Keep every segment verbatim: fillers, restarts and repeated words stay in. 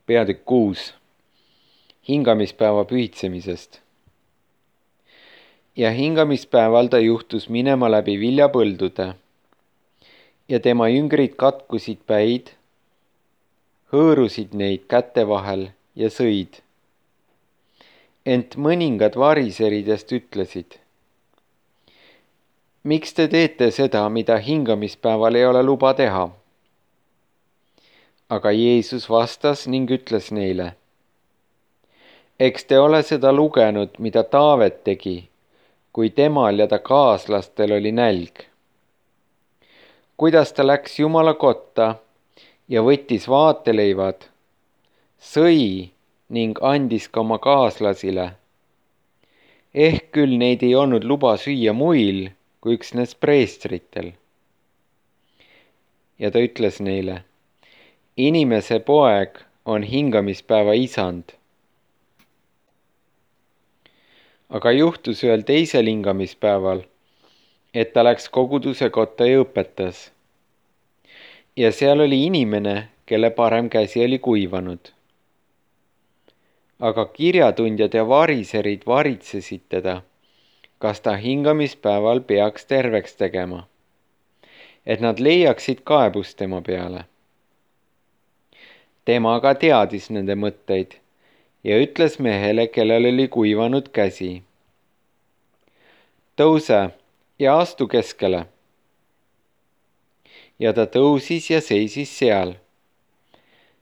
peatükk kuus. Hingamispäeva pühitsemisest. Ja hingamispäeval ta juhtus minema läbi viljapõldude. Ja tema jüngrid katkusid päid, hõõrusid neid käte vahel ja sõid. Ent mõningad variseridest ütlesid: miks te teete seda, mida hingamispäeval ei ole luba teha? Aga Jeesus vastas ning ütles neile: eks te ole seda lugenud, mida Taavet tegi, kui temal ja ta kaaslastel oli nälg. Kuidas ta läks Jumala kotta ja võttis vaateleivad, sõi ning andis ka oma kaaslasile. Ehk küll neid ei olnud luba süüa muil kui üksnes preestritel. Ja ta ütles neile: inimese poeg on hingamispäeva isand. Aga juhtus ühel teisel hingamispäeval, et ta läks koguduse kotta ja õpetas. Ja seal oli inimene, kelle parem käsi oli kuivanud. Aga kirjatundjad ja variserid varitsesid teda, kas ta hingamispäeval peaks terveks tegema, et nad leiaksid kaebust tema peale. Tema aga teadis nende mõtteid ja ütles mehele, kellel oli kuivanud käsi: tõuse ja astu keskele. Ja ta tõusis ja seisis seal.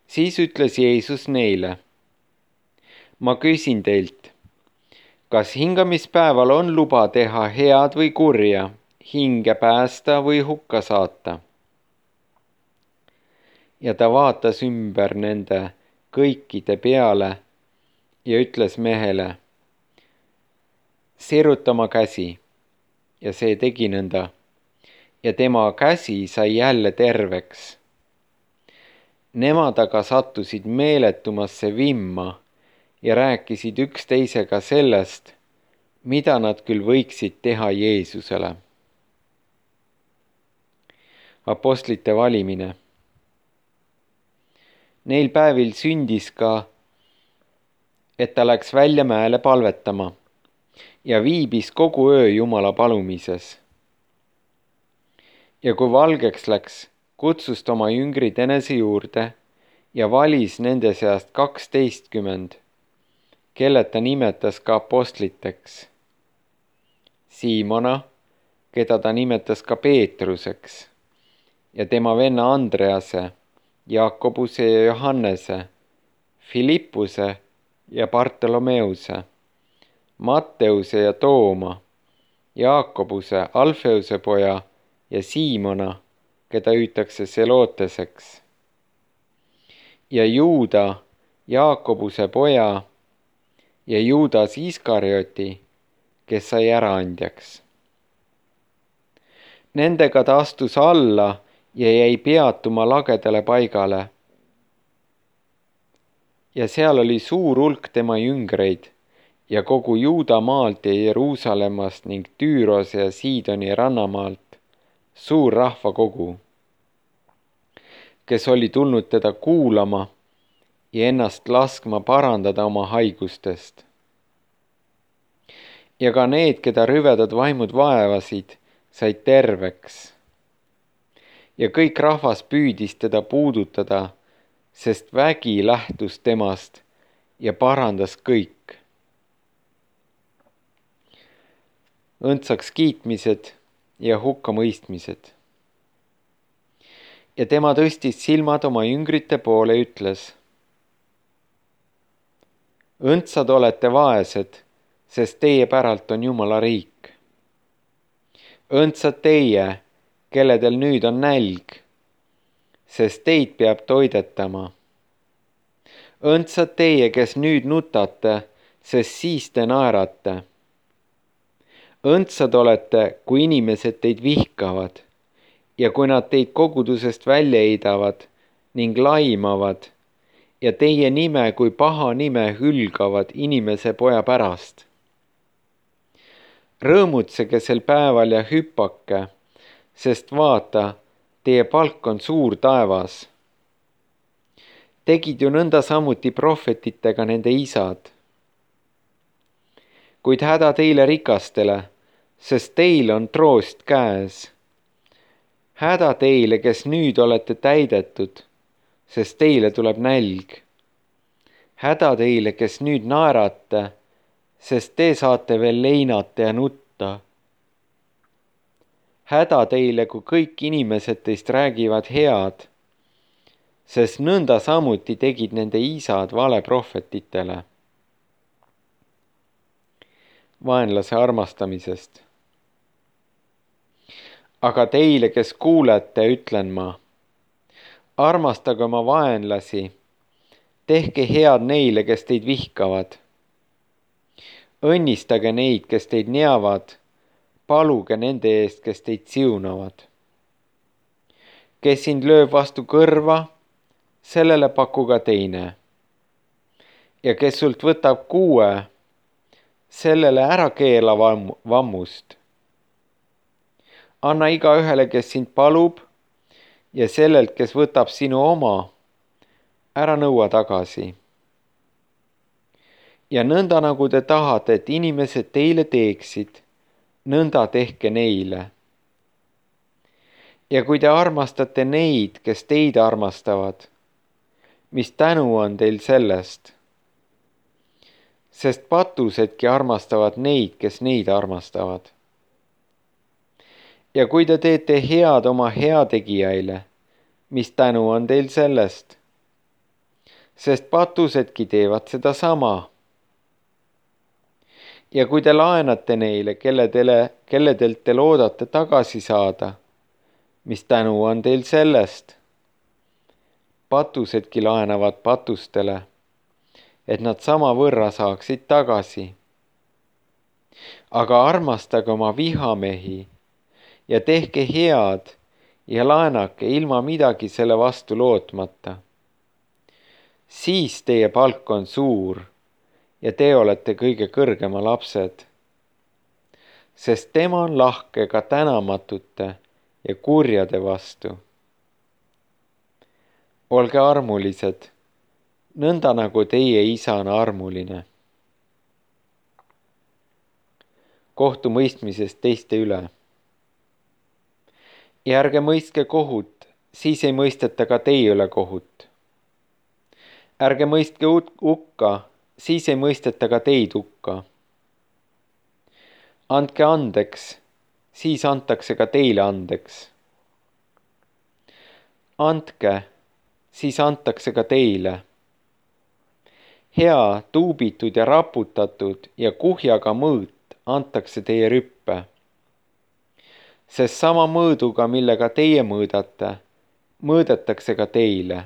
Siis ütles Jeesus neile: ma küsin teilt, kas hingamispäeval on luba teha head või kurja, hinge päästa või hukka saata? Ja ta vaatas ümber nende kõikide peale ja ütles mehele: siruta oma käsi. Ja see tegi nõnda. Ja tema käsi sai jälle terveks. Nemad aga sattusid meeletumasse vimma ja rääkisid üksteisega sellest, mida nad küll võiksid teha Jeesusele. Apostlite valimine. Neil päevil sündis ka, et ta läks välja mäele palvetama ja viibis kogu öö Jumala palumises. Ja kui valgeks läks, kutsus ta oma jüngrid enese juurde ja valis nende seast kaksteistkümmend, kelle ta nimetas ka apostliteks. Siimona, keda ta nimetas ka Peetruseks, ja tema venna Andrease, Jakobuse ja Johannese, Filippuse ja Bartolomeuse, Matteuse ja Tooma, Jaakobuse, Alfeuse poja ja Siimona, keda hüütakse Seloteseks, ja Juuda, Jaakobuse poja, ja Juudas Iskarioti, kes sai äraandjaks. Nendega ta astus alla ja jäi peatuma lagedale paigale. Ja seal oli suur hulk tema jüngreid ja kogu Juuda maalt ja Jeruusalemmast ning Tüürose ja Siidoni rannamaalt suur rahvakogu, kes oli tulnud teda kuulama ja ennast laskma parandada oma haigustest. Ja ka need, keda rüvedad vaimud vaevasid, said terveks. Ja kõik rahvas püüdis teda puudutada, sest vägi lähtus temast ja parandas kõik. Õndsaks kiitmised ja hukkamõistmised. Ja tema tõstis silmad oma jüngrite poole ja ütles: õndsad olete vaesed, sest teie päralt on Jumala riik. Õndsad teie, kelledel nüüd on nälg, sest teid peab toidetama. Õndsad teie, kes nüüd nutate, sest siis te naerate. Õndsad olete, kui inimesed teid vihkavad ja kui nad teid kogudusest välja heidavad ning laimavad ja teie nime kui paha nime hülgavad inimese poja pärast. Rõõmutsege sel päeval ja hüppake, sest vaata, teie palk on suur taevas. tegid ju nõnda samuti prohvetitega nende isad. Kuid häda teile rikastele, sest teil on troost käes. Häda teile, kes nüüd olete täidetud, sest teile tuleb nälg. Häda teile, kes nüüd naerate, sest te saate veel leinata ja nutta. Häda teile, kui kõik inimesed teist räägivad head, sest nõnda samuti tegid nende isad valeprohvetitele. Vaenlase armastamisest. Aga teile, kes kuulete, ütlen ma, armastage oma vaenlasi, tehke head neile, kes teid vihkavad. Õnnistage neid, kes teid neavad, paluge nende eest, kes teid siunavad. Kes sind lööb vastu kõrva, sellele paku ka teine. Ja kes sult võtab kuue, sellele ära keela vammust. Anna igaühele, kes sind palub, ja sellelt, kes võtab sinu oma, ära nõua tagasi. Ja nõnda nagu te tahate, et inimesed teile teeksid, nõnda tehke neile. Ja kui te armastate neid, kes teid armastavad, mis tänu on teil sellest? Sest patusedki armastavad neid, kes neid armastavad. Ja kui te teete head oma heategijaile, mis tänu on teil sellest? Sest patusedki teevad seda sama. Ja kui te laenate neile, kelle tele, kelledelt te loodate tagasi saada, mis tänu on teil sellest? Patusedki laenavad patustele, et nad sama võrra saaksid tagasi. Aga armastage oma vihamehi ja tehke head ja laenake ilma midagi selle vastu lootmata. Siis teie palk on suur ja te olete kõige kõrgema lapsed. Sest tema on lahke ka tänamatute ja kurjade vastu. Olge armulised, nõnda nagu teie isa on armuline. Kohtumõistmisest teiste üle. Ja ärge mõistke kohut, siis ei mõisteta ka teie üle kohut. Ärge mõistke hukka, siis ei mõisteta ka teid hukka. Andke andeks, siis antakse ka teile andeks. Andke, siis antakse ka teile. Hea, tuubitud ja raputatud ja kuhjaga mõõt antakse teie rüppe. Sest sama mõõduga, millega teie mõõdate, mõõdetakse ka teile.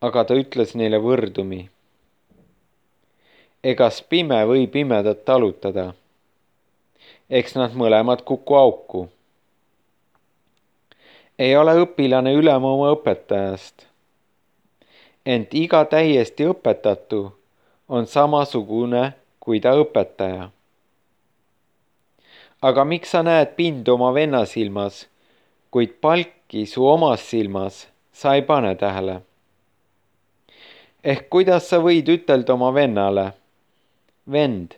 Aga ta ütles neile võrdumi. Egas pime või pimedat talutada? Eks nad mõlemad kuku auku. Ei ole õpilane ülem oma õpetajast. Ent iga täiesti õpetatu on samasugune kui ta õpetaja. Aga miks sa näed pindu oma venna silmas, kuid palki su omas silmas sa ei pane tähele? Ehk kuidas sa võid ütelda oma vennale, vend,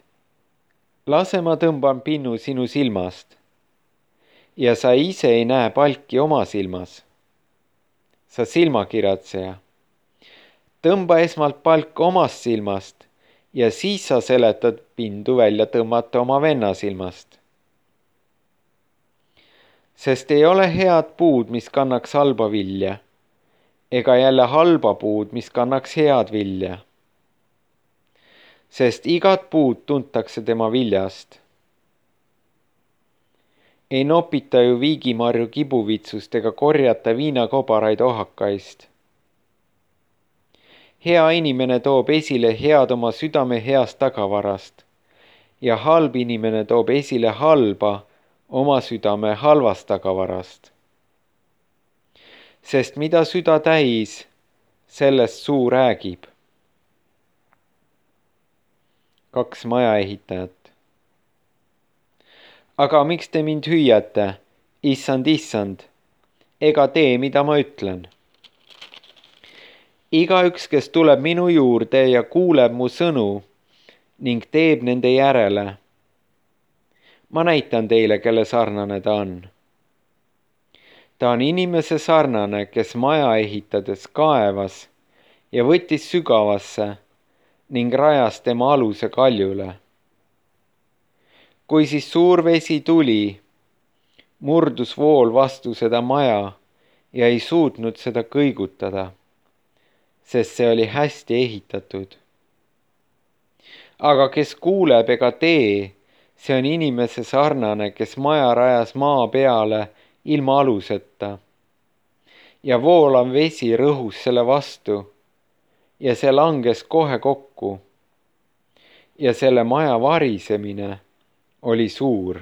lase ma tõmban pinnu sinu silmast, ja sa ise ei näe palki oma silmas. Sa silmakiratseja. Tõmba esmalt palk omast silmast ja siis sa seletad pindu välja tõmmata oma venna silmast. Sest ei ole head puud, mis kannaks halba vilja, ega jälle halba puud, mis kannaks head vilja. Sest igat puud tuntakse tema viljast. Ei nopita ju viigimarju kibuvitsust ega korjata viinakobaraid ohakaist. Hea inimene toob esile head oma südame heast tagavarast ja halb inimene toob esile halba oma südame halvast tagavarast. Sest mida süda täis, sellest suu räägib. Kaks majaehitajat. Aga miks te mind hüüate, issand, issand, ega tee, mida ma ütlen? igaüks, kes tuleb minu juurde ja kuuleb mu sõnu ning teeb nende järele. ma näitan teile, kelle sarnane ta on. ta on inimese sarnane, kes maja ehitades kaevas ja võttis sügavasse ning rajas tema aluse kaljule. kui siis suur vesi tuli, murdus vool vastu seda maja ja ei suutnud seda kõigutada, sest see oli hästi ehitatud. aga kes kuuleb ega tee, see on inimese sarnane, kes maja rajas maa peale ilma aluseta. ja voolav vesi rõhus selle vastu ja see langes kohe kokku. ja selle maja varisemine oli suur.